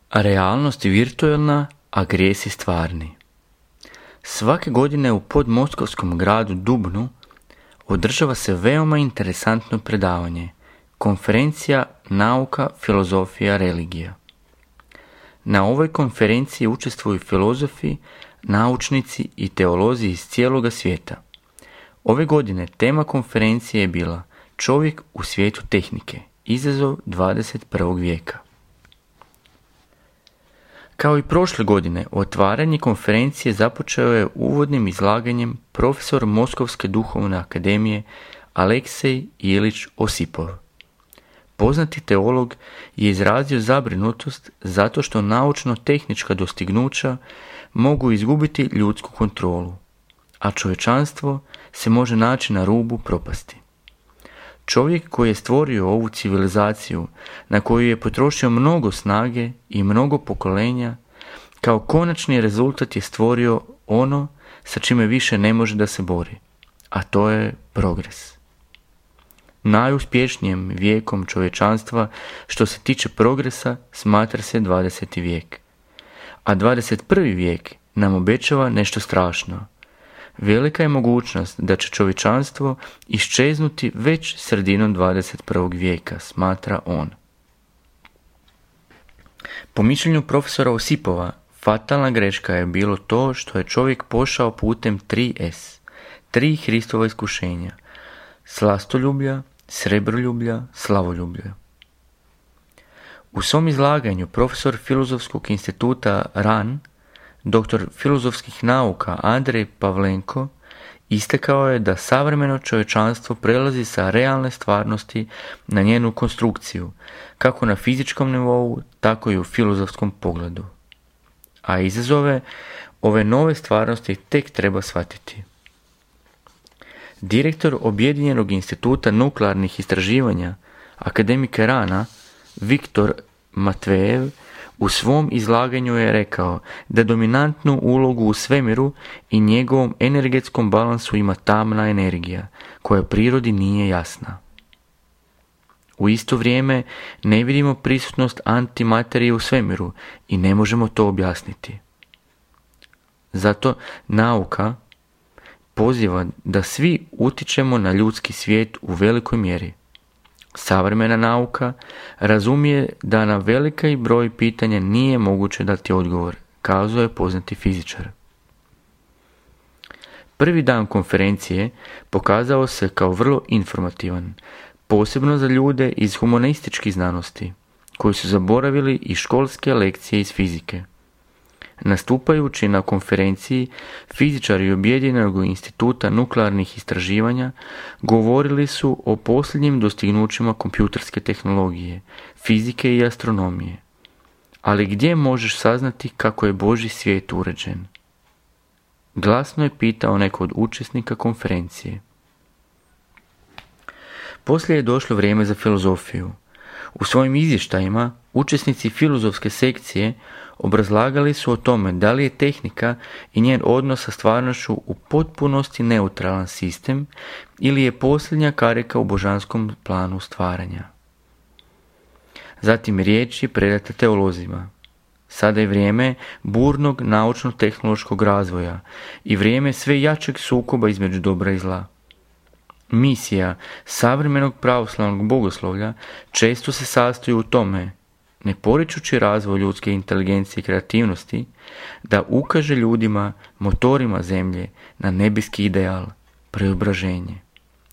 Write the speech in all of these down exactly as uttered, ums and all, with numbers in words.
A realnost je virtualna, a grijesi stvarni. Svake godine u podmoskovskom gradu Dubnu održava se veoma interesantno predavanje, konferencija Nauka, filozofija, religija. Na ovoj konferenciji učestvuju filozofi, naučnici i teolozi iz cijeloga svijeta. Ove godine tema konferencije je bila Čovjek u svijetu tehnike, izazov dvadeset prvog vijeka. Kao i prošle godine, otvaranje konferencije započeo je uvodnim izlaganjem profesor Moskovske duhovne akademije Aleksej Ilić Osipov. Poznati teolog je izrazio zabrinutost zato što naučno-tehnička dostignuća mogu izgubiti ljudsku kontrolu, a čovječanstvo se može naći na rubu propasti. Čovjek koji je stvorio ovu civilizaciju, na koju je potrošio mnogo snage i mnogo pokolenja, kao konačni rezultat je stvorio ono sa čime više ne može da se bori, a to je progres. Najuspješnijim vijekom čovječanstva što se tiče progresa smatra se dvadeseti vijek, a dvadeset prvi vijek nam obećava nešto strašno. Velika je mogućnost da će čovječanstvo iščeznuti već sredinom dvadeset prvog vijeka, smatra on. Po mišljenju profesora Osipova, fatalna greška je bilo to što je čovjek pošao putem tri es, tri Hristova iskušenja, slastoljublja, srebroljublja, slavoljublja. U svom izlaganju profesor Filozofskog instituta R A N, doktor filozofskih nauka Andrej Pavlenko, istakao je da savremeno čovječanstvo prelazi sa realne stvarnosti na njenu konstrukciju, kako na fizičkom nivou, tako i u filozofskom pogledu. A izazove ove nove stvarnosti tek treba shvatiti. Direktor Objedinjenog instituta nuklearnih istraživanja, akademik R A N-a, Viktor Matvejev, u svom izlaganju je rekao da dominantnu ulogu u svemiru i njegovom energetskom balansu ima tamna energija, koja prirodi nije jasna. U isto vrijeme ne vidimo prisutnost antimaterije u svemiru i ne možemo to objasniti. Zato nauka poziva da svi utičemo na ljudski svijet u velikoj mjeri. Savremena nauka razumije da na veliki broj pitanja nije moguće dati odgovor, kazao je poznati fizičar. Prvi dan konferencije pokazao se kao vrlo informativan, posebno za ljude iz humanističkih znanosti, koji su zaboravili i školske lekcije iz fizike. Nastupajući na konferenciji, fizičari Objedinjenog instituta nuklearnih istraživanja govorili su o posljednjim dostignućima kompjuterske tehnologije, fizike i astronomije. Ali gdje možeš saznati kako je Božji svijet uređen? Glasno je pitao neko od učesnika konferencije. Poslije je došlo vrijeme za filozofiju. U svojim izvještajima učesnici filozofske sekcije obrazlagali su o tome da li je tehnika i njen odnos sa stvarnošću u potpunosti neutralan sistem ili je posljednja karika u božanskom planu stvaranja. Zatim riječ je predata teolozima. Sada je vrijeme burnog naučno-tehnološkog razvoja i vrijeme sve jačeg sukoba između dobra i zla. Misija savremenog pravoslavnog bogoslovlja često se sastoji u tome, ne poričući razvoj ljudske inteligencije i kreativnosti, da ukaže ljudima, motorima zemlje, na nebeski ideal, preobraženje.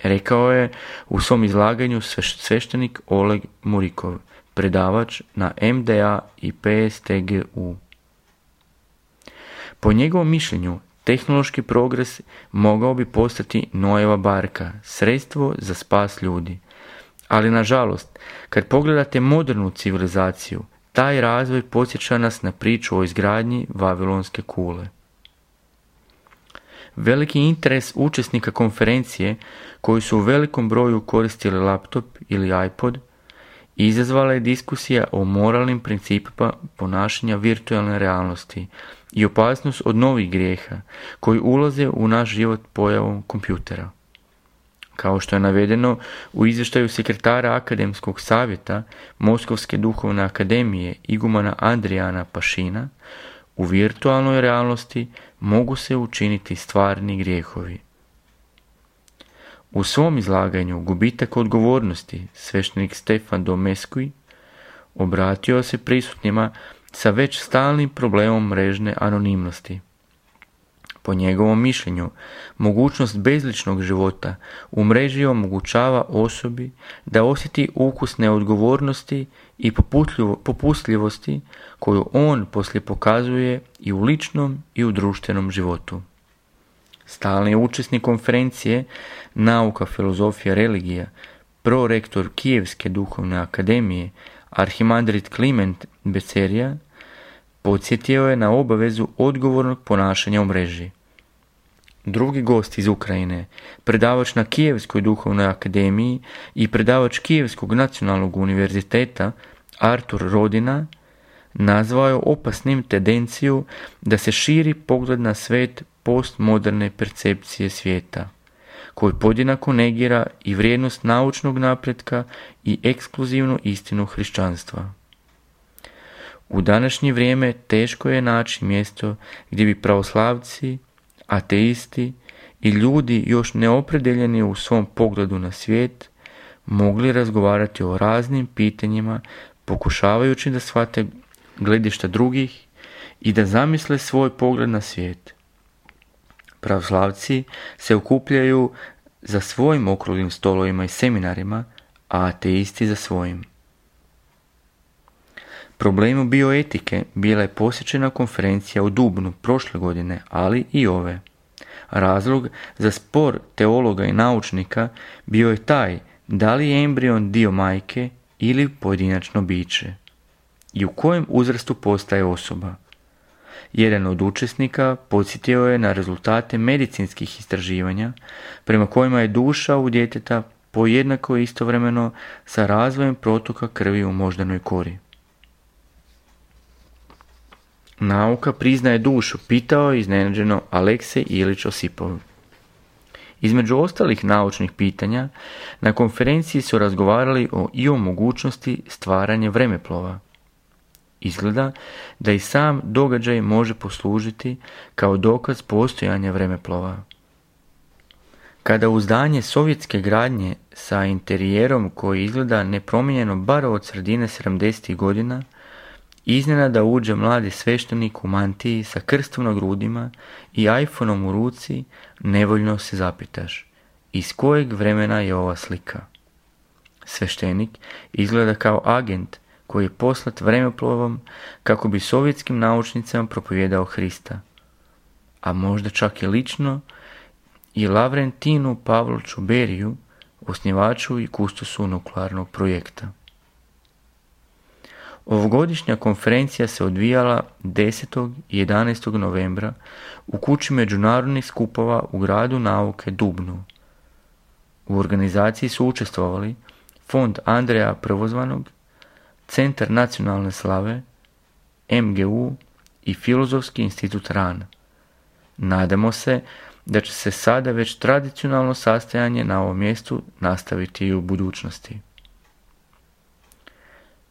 Rekao je u svom izlaganju sveštenik Oleg Murikov, predavač na em de a i pe es te ge u. Po njegovom mišljenju, tehnološki progres mogao bi postati Noeva barka, sredstvo za spas ljudi. Ali nažalost, kad pogledate modernu civilizaciju, taj razvoj podsjeća nas na priču o izgradnji Vavilonske kule. Veliki interes učesnika konferencije, koji su u velikom broju koristili laptop ili iPod, izazvala je diskusija o moralnim principima ponašanja virtualne realnosti i opasnost od novih grijeha koji ulaze u naš život pojavom kompjutera. kao što je navedeno u izvještaju sekretara Akademskog savjeta Moskovske duhovne akademije igumana Andrijana Pašina, u virtualnoj realnosti mogu se učiniti stvarni grijehovi. U svom izlaganju Gubitak odgovornosti sveštenik Stefan Domescuy obratio se prisutnima sa već stalnim problemom mrežne anonimnosti. Po njegovom mišljenju, mogućnost bezličnog života u mreži omogućava osobi da osjeti ukus neodgovornosti i popustljivosti koju on poslije pokazuje i u ličnom i u društvenom životu. Stalni učesnik konferencije Nauka, filozofija, religija, prorektor Kijevske duhovne akademije, arhimandrit Kliment Becerija, podsjetio je na obavezu odgovornog ponašanja u mreži. Drugi gost iz Ukrajine, predavač na Kijevskoj duhovnoj akademiji i predavač Kijevskog nacionalnog univerziteta Artur Rodina, nazvao je opasnim tendenciju da se širi pogled na svet postmoderne percepcije svijeta, koji podjednako negira i vrijednost naučnog napretka i ekskluzivnu istinu hrišćanstva. U današnje vrijeme teško je naći mjesto gdje bi pravoslavci, ateisti i ljudi još neopredeljeni u svom pogledu na svijet mogli razgovarati o raznim pitanjima, pokušavajući da shvate gledišta drugih i da zamisle svoj pogled na svijet. Pravoslavci se okupljaju za svojim okruglim stolovima i seminarima, a ateisti za svojim. Problemu bioetike bila je posjećena konferencija u Dubnu prošle godine, ali i ove. Razlog za spor teologa i naučnika bio je taj da li je embrion dio majke ili pojedinačno biće i u kojem uzrastu postaje osoba. Jedan od učesnika podsjetio je na rezultate medicinskih istraživanja prema kojima je duša u djeteta pojednako istovremeno sa razvojem protoka krvi u moždanoj kori. Nauka priznaje dušu, pitao je iznenađeno Aleksej Ilić Osipov. Između ostalih naučnih pitanja, na konferenciji su razgovarali o i o mogućnosti stvaranja vremeplova. Izgleda da i sam događaj može poslužiti kao dokaz postojanja vremeplova. Kada u zdanje sovjetske gradnje sa interijerom koji izgleda nepromijenjeno bar od sredine sedamdesetih godina, iznenada uđe mladi sveštenik u mantiji sa krstom na grudima i iPhoneom u ruci, nevoljno se zapitaš, iz kojeg vremena je ova slika? Sveštenik izgleda kao agent koji je poslat vremeplovom kako bi sovjetskim naučnicama propovijedao Hrista, a možda čak i lično i Lavrentinu Pavloviću Beriju, osnivaču i kustosu nuklearnog projekta. Ovogodišnja konferencija se odvijala desetog i jedanaestog novembra u kući međunarodnih skupova u gradu nauke Dubnu. U organizaciji su učestvovali Fond Andreja Prvozvanog, Centar nacionalne slave, M G U i Filozofski institut Ran. Nadamo se da će se sada već tradicionalno sastajanje na ovom mjestu nastaviti i u budućnosti.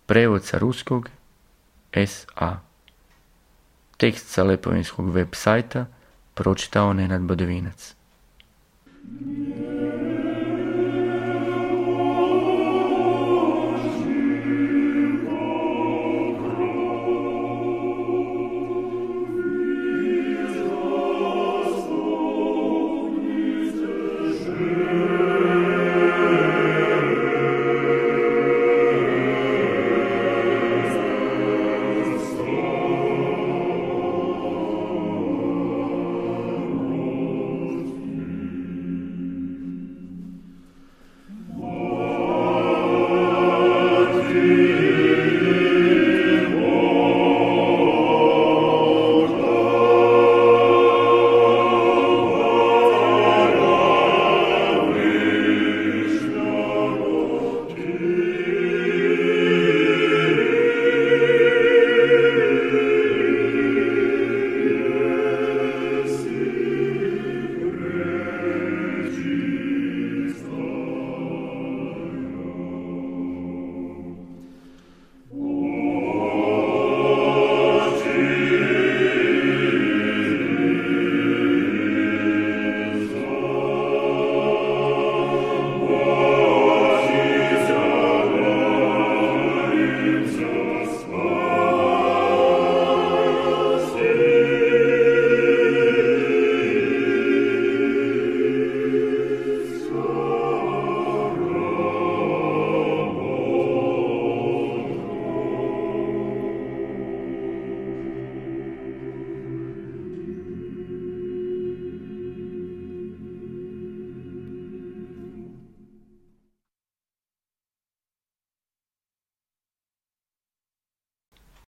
Prevod sa ruskog S A Tekst sa Lepovinskog web sajta pročitao Nenad Badovinac.